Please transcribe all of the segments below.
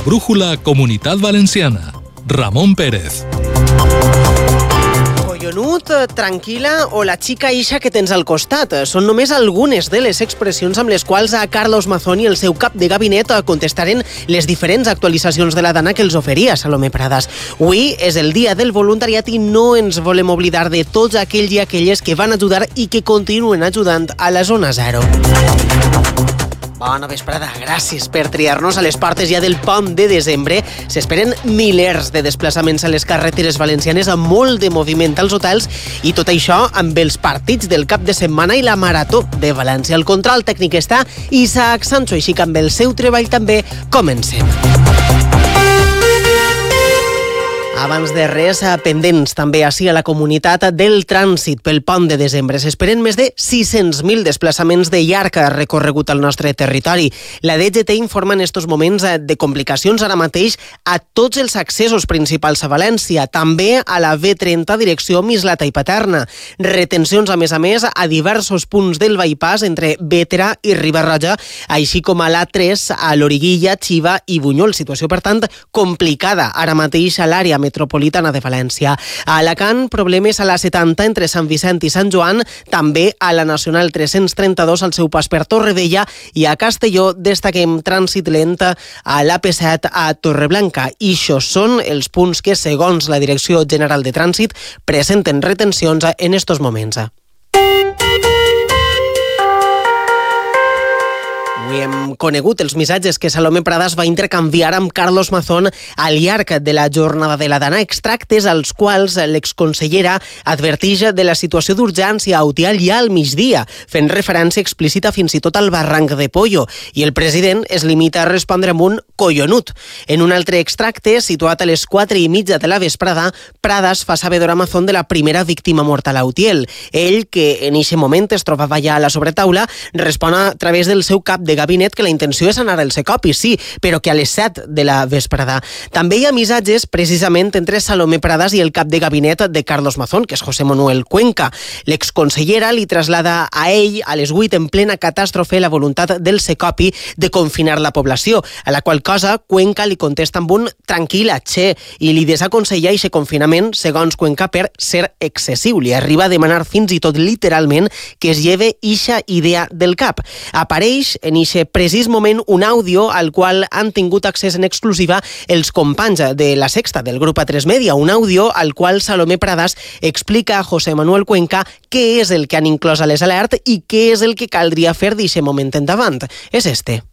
brújula Comunitat Valenciana. Ramon Pérez. Collonut, tranquil·la o la xica ixa que tens al costat. Són només algunes de les expressions amb les quals a Carlos Mazón i el seu cap de gabinet contestaren les diferents actualitzacions de la dana que els oferia Salomé Pradas. Avui és el dia del voluntariat i no ens volem oblidar de tots aquells i aquelles que van ajudar i que continuen ajudant a la zona zero. Bona vesprada, gràcies per triar-nos a les portes ja del pont de desembre. S'esperen milers de desplaçaments a les carreteres valencianes amb molt de moviment als hotels i tot això amb els partits del cap de setmana i la marató de València. El control tècnic està Isaac Sancho, així que amb el seu treball també comencem. Abans de res, pendents també així a la comunitat del trànsit pel pont de desembre. S'esperen més de 600.000 desplaçaments de llarg recorregut al nostre territori. La DGT informa en estos moments de complicacions ara mateix a tots els accessos principals a València, també a la B30 direcció Mislata i Paterna. Retencions, a més, a diversos punts del bypass entre Bétera i Riba-roja, així com a l'A3, a Loriguilla, Xiva i Bunyol. Situació, per tant, complicada ara mateix a l'àrea metropolitana de València. A Alacant, problemes a la 70 entre Sant Vicent i Sant Joan, també a la Nacional 332 al seu pas per Torrevella, i a Castelló destaquem trànsit lent a l'AP7 a Torreblanca. I això són els punts que, segons la Direcció General de Trànsit, presenten retencions en estos moments. Avui hem conegut els missatges que Salomé Pradas va intercanviar amb Carlos Mazón al llarg de la jornada de la dana, extractes als quals l'exconsellera advertix de la situació d'urgència a Utiel ja al migdia, fent referència explícita fins i tot al barranc de Pollo, i el president es limita a respondre amb un collonut. En un altre extracte, situat a les 4:30 de la vesprada, Pradas fa saber a Mazón de la primera víctima mortal a Utiel. Ell, que en eixe moment es trobava ja a la sobretaula, respon a través del seu cap de gabinet que la intenció és anar al Secopi, sí, però que a les 7 de la vesprada. També hi ha missatges precisament entre Salomé Pradas i el cap de gabinet de Carlos Mazón, que és José Manuel Cuenca. L'exconsellera li traslada a ell a les 8 en plena catàstrofe la voluntat del Secopi de confinar la població, a la qual cosa Cuenca li contesta amb un tranquil·la, che, i li desaconsella aquest confinament, segons Cuenca, per ser excessiu. Li arriba a demanar fins i tot literalment que es lleve ixa idea del cap. Apareix en aquest precís moment un àudio al qual han tingut accés en exclusiva els companys de La Sexta, del grup A3 Media, un àudio al qual Salomé Pradas explica a José Manuel Cuenca què és el que han inclòs a les alertes i què és el que caldria fer d'aquest moment endavant. És este.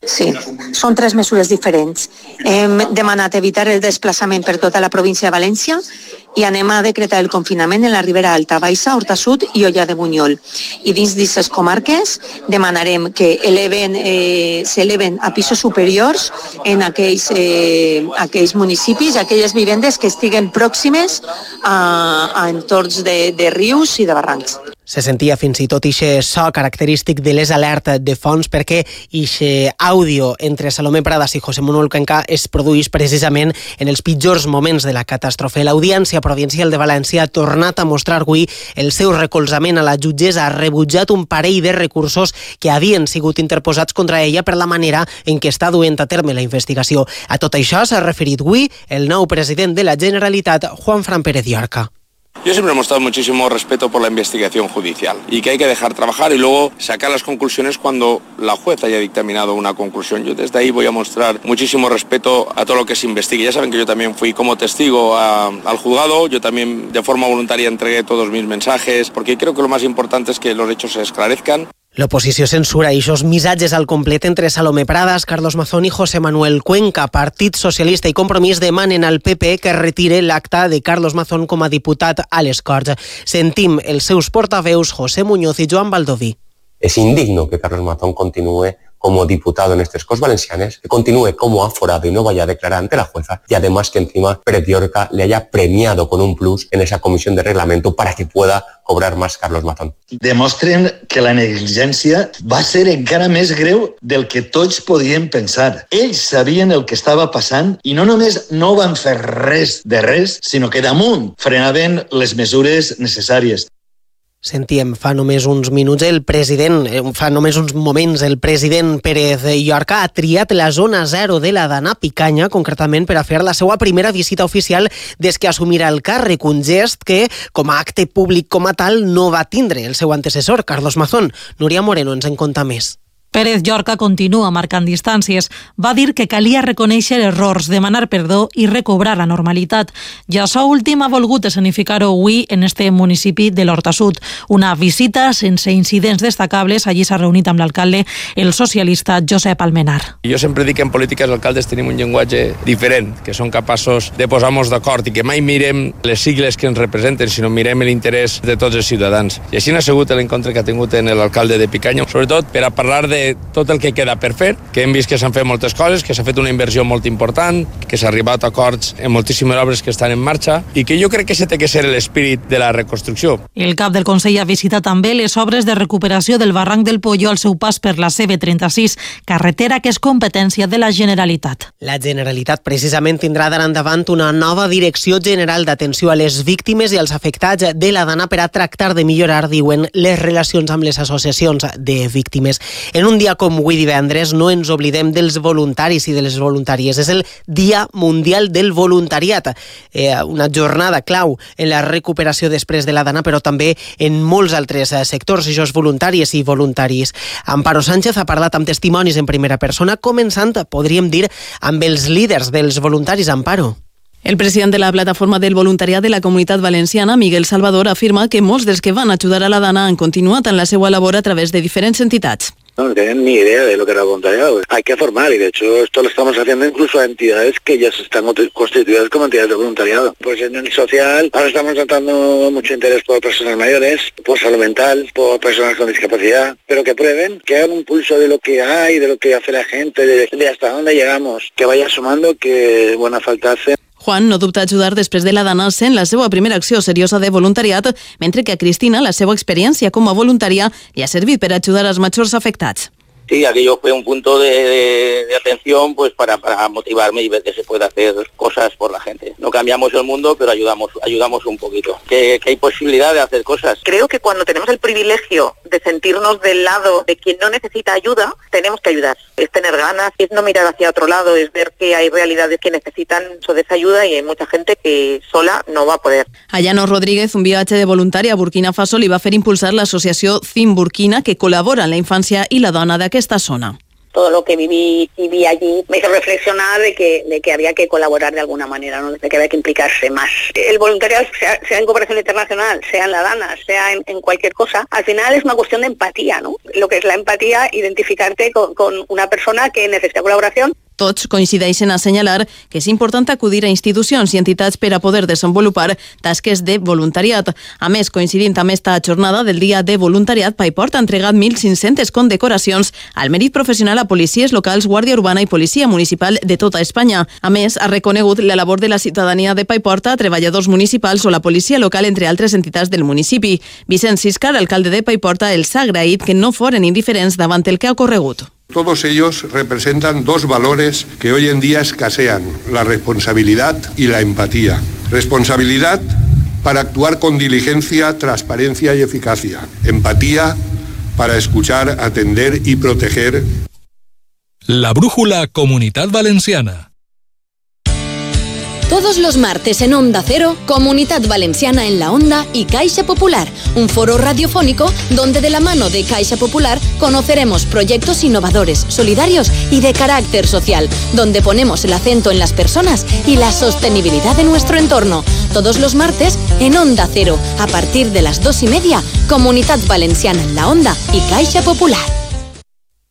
Sí, són 3 mesures diferents. Hem demanat evitar el desplaçament per tota la província de València i anem a decretar el confinament en la Ribera Alta, Baixa, Horta Sud i Olla de Bunyol. I dins d'aquestes comarques demanarem que s'eleven a pisos superiors en aquells municipis, aquelles vivendes que estiguen pròximes a entorns de rius i de barrancs. Se sentia fins i tot ixe so característic de les alertes de fons perquè ixe àudio entre Salomé Pradas i José Manuel Cuenca es produeix precisament en els pitjors moments de la catàstrofe. L'Audiència Provincial de València ha tornat a mostrar avui el seu recolzament a la jutgessa, ha rebutjat un parell de recursos que havien sigut interposats contra ella per la manera en què està duent a terme la investigació. A tot això s'ha referit avui el nou president de la Generalitat, Juanfran Pérez Llorca. Yo siempre he mostrado muchísimo respeto por la investigación judicial y que hay que dejar trabajar y luego sacar las conclusiones cuando la juez haya dictaminado una conclusión. Yo desde ahí voy a mostrar muchísimo respeto a todo lo que se investigue. Ya saben que yo también fui como testigo al juzgado, yo también de forma voluntaria entregué todos mis mensajes, porque creo que lo más importante es que los hechos se esclarezcan. L'oposició censura aquests missatges al complet entre Salomé Pradas, Carlos Mazón i José Manuel Cuenca. Partit Socialista i Compromís demanen al PP que retire l'acta de Carlos Mazón com a diputat a les Corts. Sentim els seus portaveus José Muñoz i Joan Baldoví. Es indigno que Carlos Mazón continúe como diputado en estas Corts Valencianes, que continúe como aforado y no vaya a declarar ante la jueza, y además que encima Pérez Llorca le haya premiado con un plus en esa comisión de reglamento para que pueda cobrar más Carlos Mazón. Demostren que la negligència va ser encara més greu del que tots podíem pensar. Ells sabien el que estava passant i no només no van fer res de res, sinó que damunt frenaven les mesures necessàries. Sentíem fa només uns moments el president Pérez Llorca ha triat la zona 0 de la Dana Picanya, concretament per a fer la seva primera visita oficial des que assumirà el càrrec, un gest que, com a acte públic com a tal, no va tindre el seu antecessor, Carlos Mazón. Núria Moreno ens en conta més. Pérez Llorca continua marcant distàncies. Va dir que calia reconèixer errors, demanar perdó i recobrar la normalitat. I això últim ha volgut escenificar-ho avui en este municipi de l'Horta Sud. Una visita sense incidents destacables. Allí s'ha reunit amb l'alcalde, el socialista Josep Almenar. Jo sempre dic que en política els alcaldes tenim un llenguatge diferent, que són capaços de posar-nos d'acord i que mai mirem les sigles que ens representen, sinó mirem l'interès de tots els ciutadans. I així ha sigut l'encontre que ha tingut en l'alcalde de Picanya, sobretot per a parlar de tot el que queda per fer, que hem vist que s'han fet moltes coses, que s'ha fet una inversió molt important, que s'ha arribat a acords en moltíssimes obres que estan en marxa i que jo crec que aquest té que ser l'espírit de la reconstrucció. El cap del Consell ha visitat també les obres de recuperació del barranc del Pollo al seu pas per la CB36, carretera que és competència de la Generalitat. La Generalitat precisament tindrà d'ara endavant una nova Direcció General d'Atenció a les Víctimes i als Afectats de la Dana per a tractar de millorar, diuen, les relacions amb les associacions de víctimes. En un dia com avui divendres no ens oblidem dels voluntaris i de les voluntàries. És el Dia Mundial del Voluntariat, una jornada clau en la recuperació després de la Dana, però també en molts altres sectors, això és voluntàries i voluntaris. Amparo Sánchez ha parlat amb testimonis en primera persona, començant, podríem dir, amb els líders dels voluntaris. Amparo. El president de la Plataforma del Voluntariat de la Comunitat Valenciana, Miguel Salvador, afirma que molts dels que van ajudar a la Dana han continuat en la seva labor a través de diferents entitats. No tienen ni idea de lo que era el voluntariado. Hay que formar y de hecho esto lo estamos haciendo incluso a entidades que ya están constituidas como entidades de voluntariado. Pues en el social ahora estamos tratando mucho interés por personas mayores, por salud mental, por personas con discapacidad, pero que prueben, que hagan un pulso de lo que hay, de lo que hace la gente, de hasta dónde llegamos, que vaya sumando, que buena falta hace. Juan no dubta ajudar després de la Dana sent la seva primera acció seriosa de voluntariat, mentre que a Cristina la seva experiència com a voluntària li ha servit per ajudar als majors afectats. Sí, aquello fue un punto de atención pues para motivarme y ver que se puede hacer cosas por la gente. No cambiamos el mundo, pero ayudamos un poquito. Que hay posibilidad de hacer cosas. Creo que cuando tenemos el privilegio de sentirnos del lado de quien no necesita ayuda, tenemos que ayudar. Es tener ganas, es no mirar hacia otro lado, es ver que hay realidades que necesitan de esa ayuda y hay mucha gente que sola no va a poder. A Llanos Rodríguez, un viatge de voluntari a Burkina Faso, li va fer impulsar l'associació Think Burkina, que col·labora en la infància i la dona d'aquesta zona. Todo lo que viví allí me hizo reflexionar de que había que colaborar de alguna manera, ¿no? De que había que implicarse más. El voluntariado, sea en cooperación internacional, sea en la Dana, sea en cualquier cosa, al final es una cuestión de empatía, ¿no? Lo que es la empatía, identificarte con una persona que necesita colaboración. Tots coincideixen a assenyalar que és important acudir a institucions i entitats per a poder desenvolupar tasques de voluntariat. A més, coincidint amb esta jornada del Dia de Voluntariat, Paiport ha entregat 1.500 condecoracions al mèrit professional a policies locals, Guàrdia Urbana i Policia Municipal de tota Espanya. A més, ha reconegut la labor de la ciutadania de Paiport a treballadors municipals o la policia local, entre altres entitats del municipi. Vicent Siscar, alcalde de Paiport, els ha agraït que no foren indiferents davant el que ha ocorregut. Todos ellos representan dos valores que hoy en día escasean, la responsabilidad y la empatía. Responsabilidad para actuar con diligencia, transparencia y eficacia. Empatía para escuchar, atender y proteger. La brújula Comunidad Valenciana. Todos los martes en Onda Cero, Comunidad Valenciana en la Onda y Caixa Popular, un foro radiofónico donde de la mano de Caixa Popular conoceremos proyectos innovadores, solidarios y de carácter social, donde ponemos el acento en las personas y la sostenibilidad de nuestro entorno. Todos los martes en Onda Cero, a partir de las 2:30, Comunidad Valenciana en la Onda y Caixa Popular.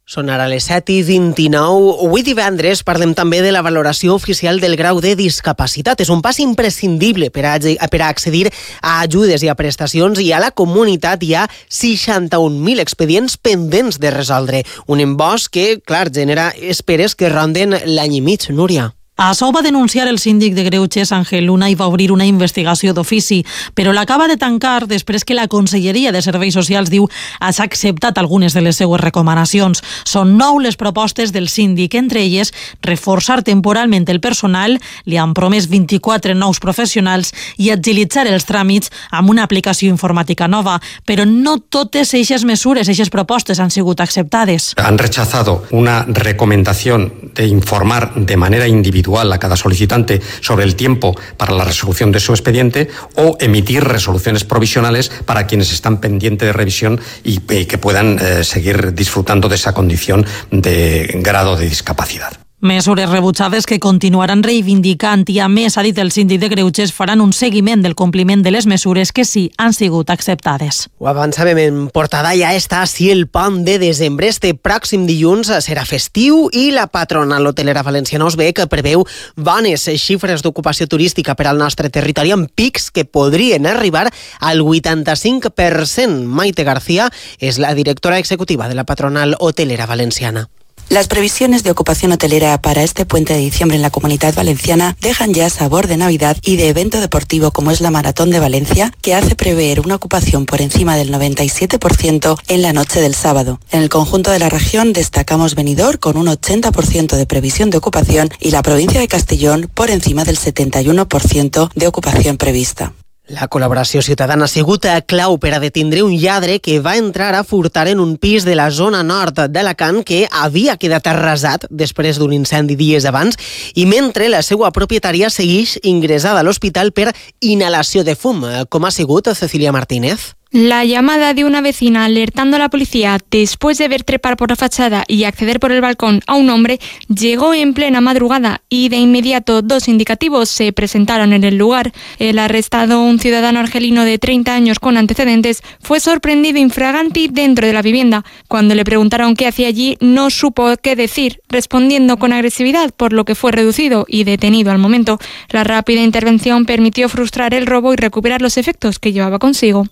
Són ara les 7:29. Avui divendres parlem també de la valoració oficial del grau de discapacitat. És un pas imprescindible per a accedir a ajudes i a prestacions, i a la comunitat hi ha 61.000 expedients pendents de resoldre. Un embòs que, clar, genera esperes que ronden l'any i mig, Núria. Açò va denunciar el síndic de Greuges, Àngel Luna, i va obrir una investigació d'ofici, però l'acaba de tancar després que la Conselleria de Serveis Socials diu ha acceptat algunes de les seues recomanacions. Són 9 les propostes del síndic, entre elles reforçar temporalment el personal, li han promès 24 nous professionals i agilitzar els tràmits amb una aplicació informàtica nova, però no totes eixes mesures, eixes propostes han sigut acceptades. Han rechazado una recomendación de informar de manera individual a cada solicitante sobre el tiempo para la resolución de su expediente o emitir resoluciones provisionales para quienes están pendientes de revisión y que puedan seguir disfrutando de esa condición de grado de discapacidad. Mesures rebutjades que continuaran reivindicant i, a més, ha dit el síndic de Greuges, faran un seguiment del compliment de les mesures que sí han sigut acceptades. Ho avançàvem en portada, ja està si el pont de desembre. Este pròxim dilluns serà festiu i la patronal hotelera valenciana Osbec preveu bones xifres d'ocupació turística per al nostre territori amb pics que podrien arribar al 85%. Maite García és la directora executiva de la patronal hotelera valenciana. Las previsiones de ocupación hotelera para este puente de diciembre en la Comunidad Valenciana dejan ya sabor de Navidad y de evento deportivo como es la Maratón de Valencia, que hace prever una ocupación por encima del 97% en la noche del sábado. En el conjunto de la región destacamos Benidorm con un 80% de previsión de ocupación y la provincia de Castellón por encima del 71% de ocupación prevista. La col·laboració ciutadana ha sigut clau per a detindre un lladre que va entrar a furtar en un pis de la zona nord d'Alacant que havia quedat arrasat després d'un incendi dies abans i mentre la seva propietària segueix ingressada a l'hospital per inhalació de fum. Com ha sigut, Cecilia Martínez? La llamada de una vecina alertando a la policía después de ver trepar por la fachada y acceder por el balcón a un hombre llegó en plena madrugada y de inmediato 2 indicativos se presentaron en el lugar. El arrestado, un ciudadano argelino de 30 años con antecedentes, fue sorprendido infraganti dentro de la vivienda. Cuando le preguntaron qué hacía allí, no supo qué decir, respondiendo con agresividad, por lo que fue reducido y detenido al momento. La rápida intervención permitió frustrar el robo y recuperar los efectos que llevaba consigo.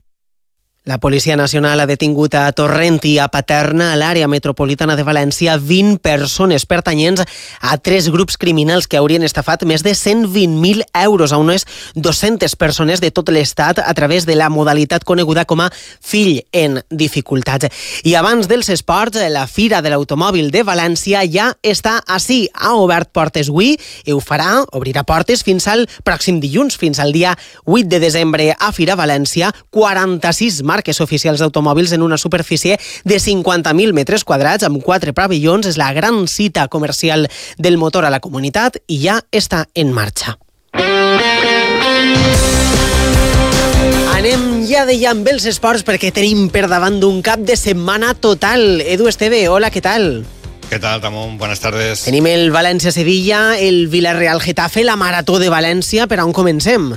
La Policia Nacional ha detingut a Torrent i a Paterna, a l'àrea metropolitana de València, 20 persones pertanyents a 3 grups criminals que haurien estafat més de 120.000 euros a unes 200 persones de tot l'Estat a través de la modalitat coneguda com a fill en dificultats. I abans dels esports, la Fira de l'Automòbil de València ja està ací. Ha obert portes avui i ho farà, obrirà portes fins al pròxim dilluns, fins al dia 8 de desembre a Fira València, 46 marques oficials d'automòbils en una superfície de 50.000 metres quadrats amb 4 pavellons. És la gran cita comercial del motor a la comunitat i ja està en marxa. Anem ja de amb els esports perquè tenim per davant d'un cap de setmana total. Edu Esteve, hola, què tal? ¿Qué tal, Ramón? Buenas tardes. Tenim el València-Sevilla, el Villarreal-Getafe, la Marató de València. Per on comencem?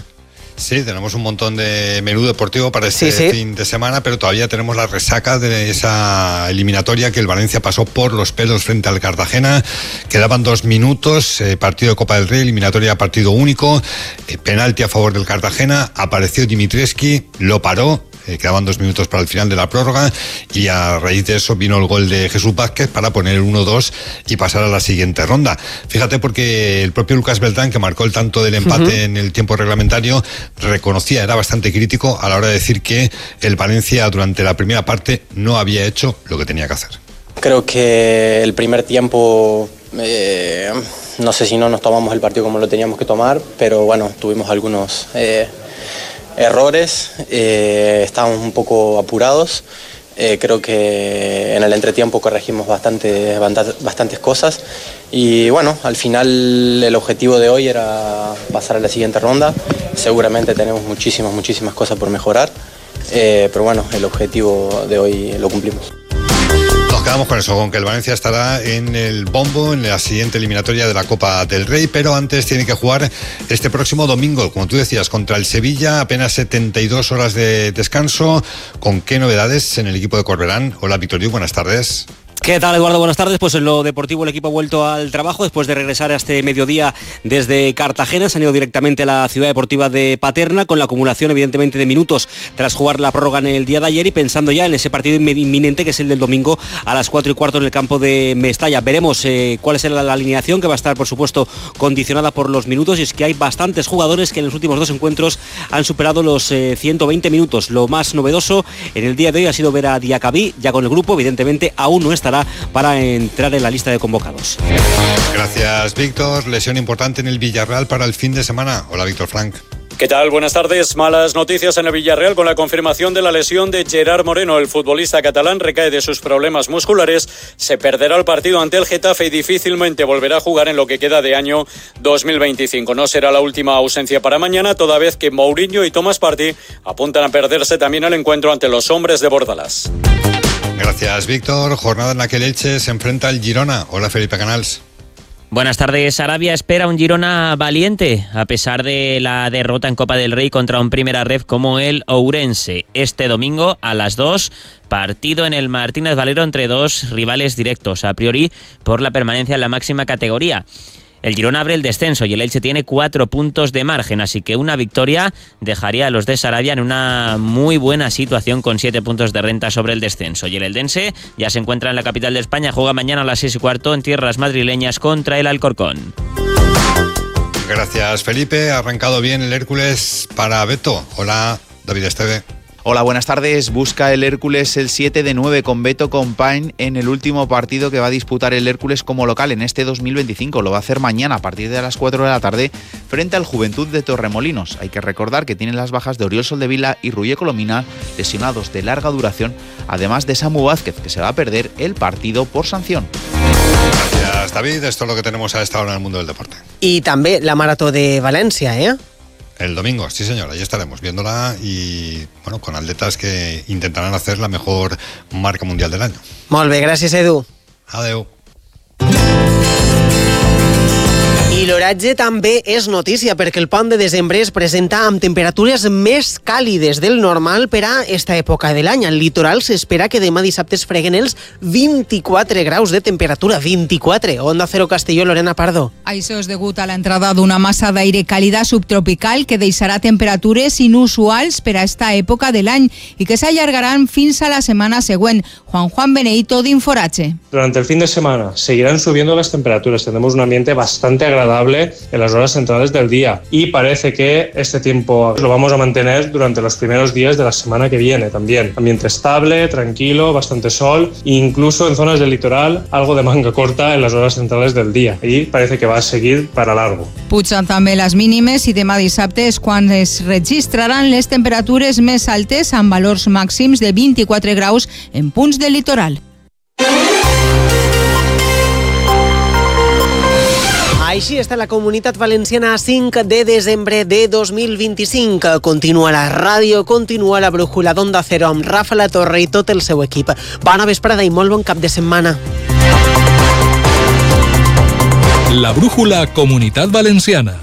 Sí, tenemos un montón de menú deportivo para este fin de semana, pero todavía tenemos la resaca de esa eliminatoria que el Valencia pasó por los pelos frente al Cartagena. Quedaban 2 minutos, partido de Copa del Rey, eliminatoria partido único, penalti a favor del Cartagena, apareció Dimitrescu, lo paró. Quedaban 2 minutos para el final de la prórroga y a raíz de eso vino el gol de Jesús Vázquez para poner el 1-2 y pasar a la siguiente ronda. Fíjate, porque el propio Lucas Beltrán, que marcó el tanto del empate en el tiempo reglamentario, reconocía, era bastante crítico a la hora de decir que el Valencia durante la primera parte no había hecho lo que tenía que hacer. Creo que el primer tiempo, no sé si no nos tomamos el partido como lo teníamos que tomar, pero bueno, tuvimos algunos errores, estábamos un poco apurados. Creo que en el entretiempo corregimos bastantes cosas y bueno, al final el objetivo de hoy era pasar a la siguiente ronda. Seguramente tenemos muchísimas cosas por mejorar, pero bueno, el objetivo de hoy lo cumplimos. Nos quedamos con eso, con que el Valencia estará en el bombo en la siguiente eliminatoria de la Copa del Rey, pero antes tiene que jugar este próximo domingo, como tú decías, contra el Sevilla, apenas 72 horas de descanso. ¿Con qué novedades en el equipo de Corberán? Hola, Víctor Lluch, buenas tardes. ¿Qué tal, Eduardo? Buenas tardes. Pues en lo deportivo el equipo ha vuelto al trabajo después de regresar a este mediodía desde Cartagena. Se han ido directamente a la ciudad deportiva de Paterna con la acumulación evidentemente de minutos tras jugar la prórroga en el día de ayer y pensando ya en ese partido inminente que es el del domingo a las 4:15 en el campo de Mestalla. Veremos cuál es la alineación, que va a estar por supuesto condicionada por los minutos, y es que hay bastantes jugadores que en los últimos 2 encuentros han superado los 120 minutos. Lo más novedoso en el día de hoy ha sido ver a Diacabí ya con el grupo. Evidentemente aún no estará para entrar en la lista de convocados. Gracias, Víctor. Lesión importante en el Villarreal para el fin de semana. Hola, Víctor Frank. ¿Qué tal? Buenas tardes. Malas noticias en el Villarreal con la confirmación de la lesión de Gerard Moreno. El futbolista catalán recae de sus problemas musculares, se perderá el partido ante el Getafe y difícilmente volverá a jugar en lo que queda de año 2025. No será la última ausencia para mañana, toda vez que Mourinho y Thomas Partey apuntan a perderse también el encuentro ante los hombres de Bordalás. Gracias, Víctor. Jornada en la que el Elche se enfrenta al Girona. Hola, Felipe Canals. Buenas tardes. Arabia espera un Girona valiente, a pesar de la derrota en Copa del Rey contra un Primera Ref como el Ourense. Este domingo a las 2, partido en el Martínez Valero entre dos rivales directos, a priori por la permanencia en la máxima categoría. El Girona abre el descenso y el Elche tiene 4 puntos de margen, así que una victoria dejaría a los de Sarabia en una muy buena situación con 7 puntos de renta sobre el descenso. Y el Eldense ya se encuentra en la capital de España, juega mañana a las 6:15 en tierras madrileñas contra el Alcorcón. Gracias, Felipe. Ha arrancado bien el Hércules para Beto. Hola, David Esteve. Hola, buenas tardes. Busca el Hércules el 7 de 9 con Beto Compain en el último partido que va a disputar el Hércules como local en este 2025. Lo va a hacer mañana a partir de las 4 de la tarde frente al Juventud de Torremolinos. Hay que recordar que tienen las bajas de Oriol Soldevila y Ruye Colomina, lesionados de larga duración, además de Samu Vázquez, que se va a perder el partido por sanción. Gracias, David. Esto es lo que tenemos a esta hora en el mundo del deporte. I també la Marató de València, El domingo, sí señor, ahí estaremos viéndola y bueno, con atletas que intentarán hacer la mejor marca mundial del año. Molt bé, gràcies, Edu. Adeu. I l'oratge també és notícia perquè el pont de desembre es presenta amb temperatures més càlides del normal per a esta època de l'any. Al litoral s'espera que demà dissabte es freguen els 24 graus de temperatura. 24. Onda Cero Castelló, Lorena Pardo. Això és degut a l'entrada d'una massa d'aire càlida subtropical que deixarà temperatures inusuals per a esta època de l'any i que s'allargaran fins a la setmana següent. Juan Benedito d'Inforache. Durante el fin de semana seguirán subiendo las temperaturas. Tendremos un ambiente bastante agradable en las horas centrales del día y parece que este tiempo lo vamos a mantener durante los primeros días de la semana que viene también. Ambiente estable, tranquilo, bastante sol e incluso en zonas del litoral algo de manga corta en las horas centrales del día y parece que va a seguir para largo. Pugen també les mínimes i demà dissabte és quan es registraran les temperatures més altes amb valors màxims de 24 graus en punts del litoral. Així està la Comunitat Valenciana a 5 de desembre de 2025. Continua la ràdio, continua la brújula d'Onda Cero amb Rafa La Torre i tot el seu equip. Bona vesprada i molt bon cap de setmana. La brújula Comunitat Valenciana.